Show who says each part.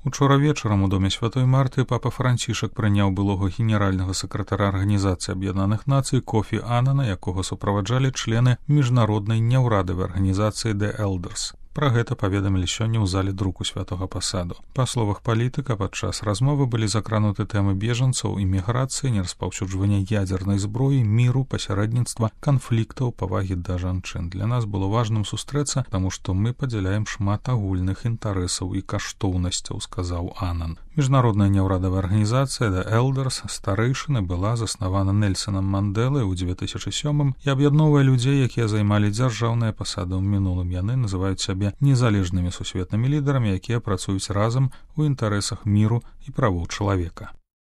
Speaker 1: Учора вечарам у доме Святой Марты папа Францішак прыняў былога генеральнага сакратара Арганізацыі Аб'яднаных Нацый Кофі Аннана, якога суправаджалі члены міжнароднай няўрадавай арганізацыі The Elders. Пра гэта паведамілі сёння ў зале друку Святога Пасаду. Па словах палітыка, падчас размовы былі закрануты тэмы бежанцаў, іміграцыі, нераспаўсюджвання ядзернай зброі, міру, пасярэдніцтва, канфліктаў, павагі да жанчын. Для нас было важным сустрэцца, таму што мы падзяляем шмат агульных інтарэсаў і каштоўнасцяў, сказаў Аннан. Міжнародная няўрадавая арганізацыя The Elders старэйшыны была заснавана Нельсонам Мандэлай у 2007 і аб'ядноўвае людзей, якія займалі дзяржаўныя пасады ў мінулым. Яны называюць сябе незалежнымі сусветнымі лідарамі, якія працуюць разам у інтарэсах міру і правоў чалавека.